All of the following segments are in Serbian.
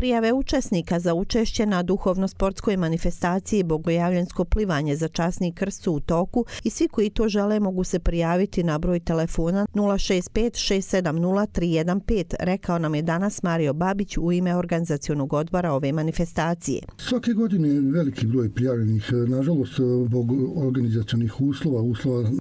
Prijave učesnika za učešće na duhovno-sportskoj manifestaciji Bogojavljansko plivanje za časni krst su u toku i svi koji to žele mogu se prijaviti na broj telefona 065 670 315, rekao nam je danas Mario Babić u ime organizacionog odbora ove manifestacije. Svake godine je veliki broj prijavljenih. Nažalost, zbog organizacionih uslova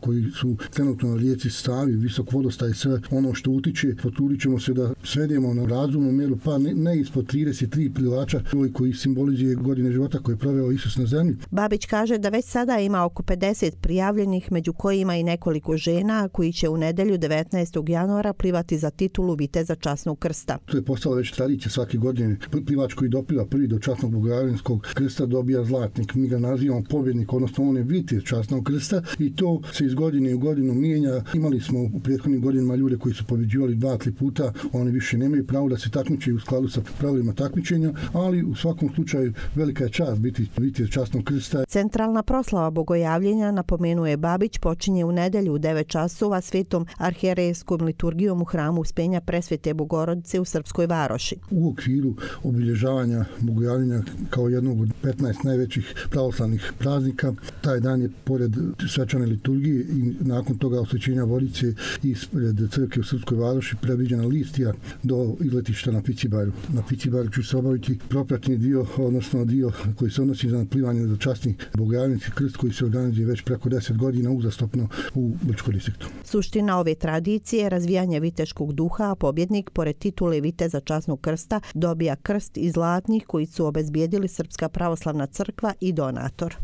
koji su trenutno na rijeci Savi, visok vodostaj i sve ono što utiče, potrudit ćemo se da svedemo na razumnu mjeru, pa ne ispod 33 plivača koji simbolizuje godine života koje je proveo Isus na zemlji. Babić kaže da već sada ima oko 50 prijavljenih, među kojima i nekoliko žena koji će u nedelju 19. januara plivati za titulu viteza časnog krsta. To je postala već tradicija svake godine. Plivač koji dopliva prvi do časnog Bogojavljanskog krsta dobija zlatnik. Mi ga nazivamo pobjednik, odnosno on je vitez časnog krsta i to se iz godine u godinu mijenja. Imali smo u prethodnim godinama ljude koji su pobjeđivali 2-3 puta, oni više nemaju pravo da se takmiče u skladu sa pravilima takmičenja, ali u svakom slučaju velika je čast biti vitez časnog krsta. Centralna proslava Bogojavljenja, napomenuje Babić, počinje u nedelju u 9 časova svetom arhijerejskom liturgijom u hramu Uspenja Presvete Bogorodice u Srpskoj Varoši. U okviru obilježavanja Bogojavljenja kao jednog od 15 najvećih pravoslavnih praznika, taj dan je pored svečane liturgije i nakon toga osvećenja vodice ispred crkve u Srpskoj Varoši predviđena listija do izletišta na Picibaru. Na Picibaru će se obaviti propratni dio, odnosno dio koji se odnosi na plivanje za časni Bogojavljanski krst koji se organizuje već preko 10 godina uzastopno u Brčkom distriktu. Suština ove tradicije je razvijanje viteškog duha, a pobjednik pored titule viteza časnog krsta dobija krst iz zlatnih koji su obezbijedili Srpska pravoslavna crkva i donator.